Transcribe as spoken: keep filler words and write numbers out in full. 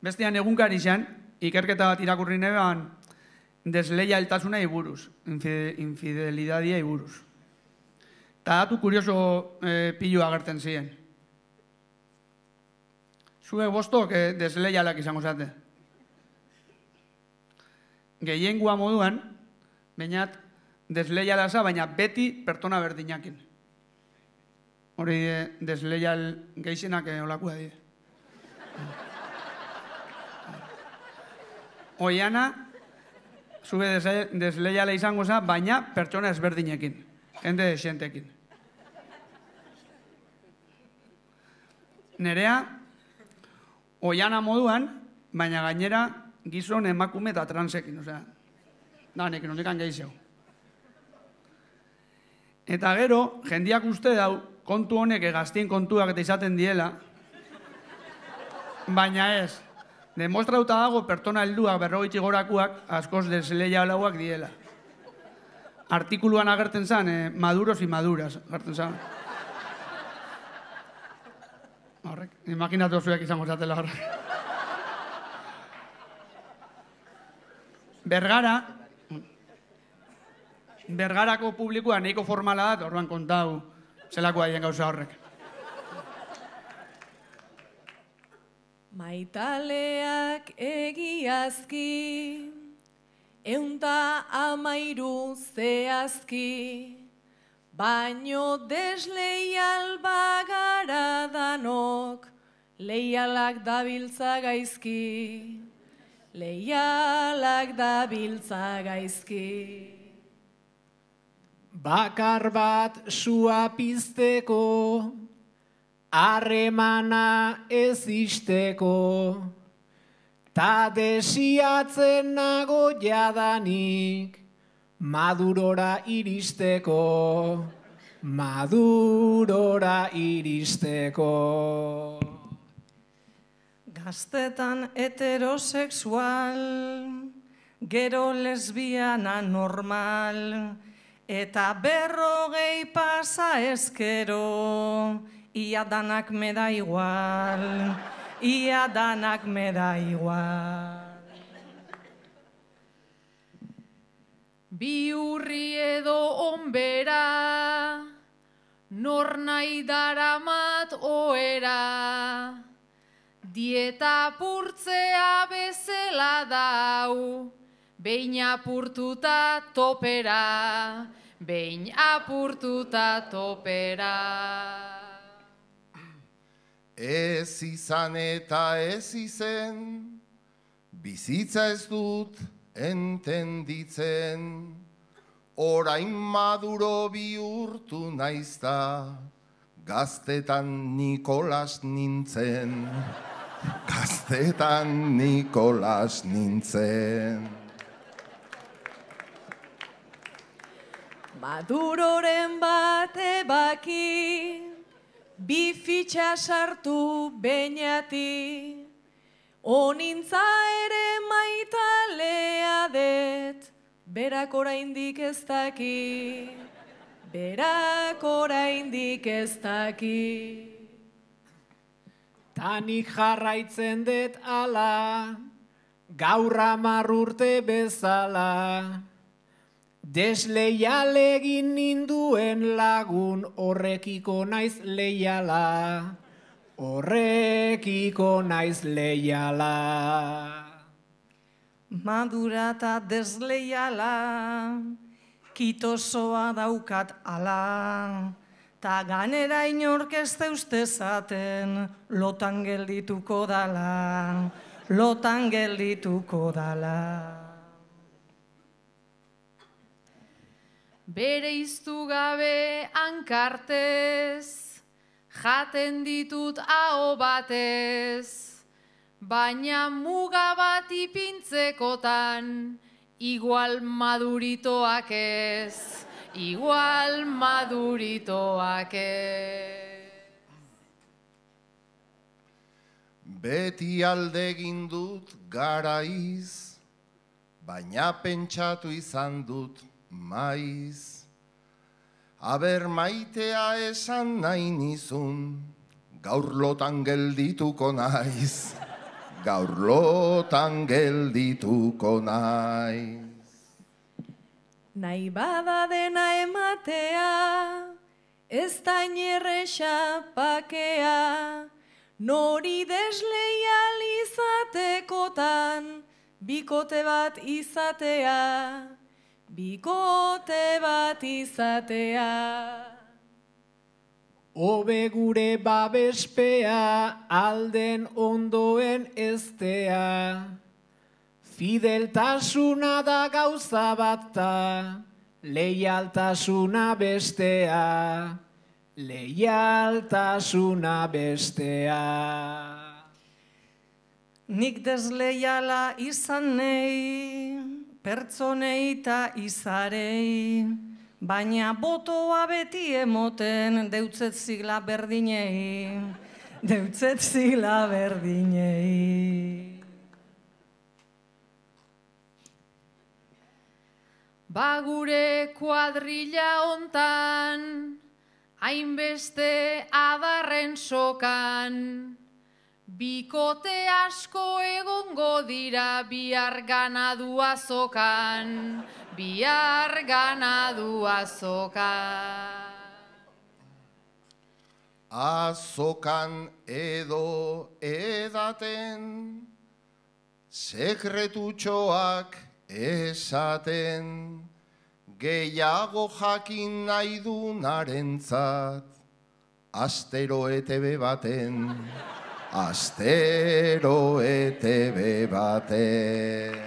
bestean egunkari xan, ikerketa bat irakurri nebean, desleialtasuna iburuz, infidelidadia iburuz. Eta datu kurioso pilu agertzen ziren. Zuek bostok desleialak izango zate. Gehiengua moduan, bainat desleiala za, baina beti pertsona berdinakin. Hori desleial gehienak olakua die. Oiana, zube desleiala izango za, baina pertsona ezberdinekin, jende xentekin. Nerea, oiana moduan, baina gainera gizon emakume eta transekin, osea, danekin, ondikan gehiago. Eta gero, jendiak uste dau, kontu honek gaztien kontuak eta izaten diela, baina ez, demostrauta dago pertsona helduak berrogeita gorakuak askoz desleialauak diela. Artikuluan agertzen zen, maduros y maduras, agertzen zen. Horrek, imaginatu zuek izango zatela horrek. Bergara, Bergarako publikoa nahiko formala da, orduan kontau zelako haien gauza horrek. Maitaleak egiazki, eunta amairu zehazki, baino desleial bagara danok, leialak dabiltza gaizki, leialak dabiltza gaizki. Bakar bat sua pizteko, harremana ez isteko, ta desiatzen nago jadanik, madurora iristeko, madurora iristeko. Gaztetan heterosexual, gero lesbiana normal, eta berrogei pasa ezkero, ia danak me da igual, ia danak me da igual. Bi urri edo onbera, nor nahi daramat oera, dieta apurtzea bezala dau, behin apurtuta topera, behin apurtuta topera. Ez izan eta ez izen, bizitza ez dut entenditzen, orain maduro bihurtu naizta, gaztetan Nikolas nintzen, gaztetan Nikolas nintzen. Maduroren bate baki, bi fitxa sartu beñati, onintza ere maitalea det, berak oraindik ez daki, berak oraindik ez daki. Tanik jarraitzen dut ala, gaur hamar urte bezala, desleial egin ninduen lagun horrekiko naiz leiala, horrekiko naiz leiala. Madura eta desleiala, kitosoa daukat ala, ta ganera inork ez deuste zaten, lotan geldituko dala, lotan geldituko dala. Bere iztu gabe hankartez, jaten ditut aho batez, baina muga bat ipintzekotan, igual maduritoak ez, igual maduritoak ez. Beti alde egin dut garaiz, baina pentsatu izan dut maiz. Aber maitea esan nahi nizun, gaur lotan geldituko naiz, gaur lotan geldituko naiz. Nahi bada dena ematea, ez da inerresa pakea, nori desleial izatekotan, bikote bat izatea, bikote bat izatea. Hobe gure babespea, alden ondoen eztea. Fideltasuna da gauza bat ta, leialtasuna bestea, leialtasuna bestea. Nik desleiala izan nei, pertsonei ta izarei, baina botoa beti emoten deutzet zigla berdinei, deutzet zigla berdinei. Ba gure kuadrilla hontan, hainbeste adarren sokan, bikote asko egongo dira bihar ganadua zokan, bihar ganadua zokan. Azokan edo edaten, sekretutxoak esaten, gehiago jakin nahi du narentzat, astero E T B baten, astero E T B baten.